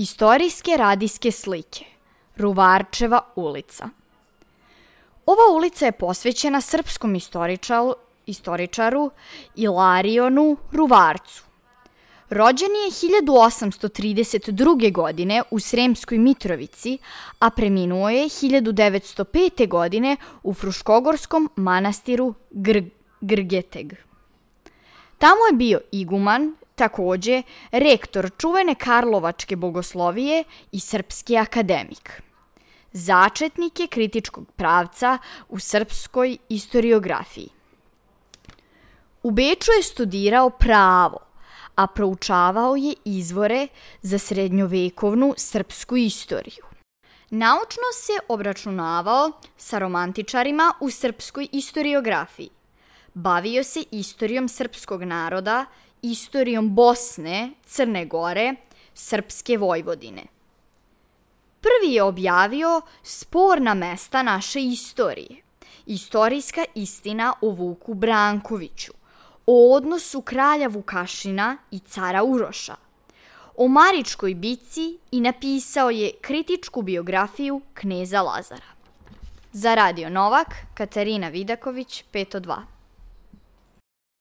Istorijske radijske slike. Ruvarčeva ulica. Ova ulica je posvećena srpskom istoričaru Ilarionu Ruvarcu. Rođen je 1832. godine u Sremskoj Mitrovici, a preminuo je 1905. godine u Fruškogorskom manastiru Grgeteg. Tamo je bio iguman, takođe rektor čuvene Karlovačke bogoslovije i srpski akademik. Začetnik je kritičkog pravca u srpskoj istoriografiji. U Beču je studirao pravo, a proučavao je izvore za srednjovekovnu srpsku istoriju. Naučno se obračunavao sa romantičarima u srpskoj istoriografiji. Bavio se istorijom srpskog naroda, istorijom Bosne, Crne Gore, Srpske Vojvodine. Prvi je objavio Sporna mesta naše istorije, istorijska istina o Vuku Brankoviću, o odnosu kralja Vukašina i cara Uroša, o Maričkoj bici i napisao je kritičku biografiju kneza Lazara. Za Radio Novak, Katarina Vidaković, 502.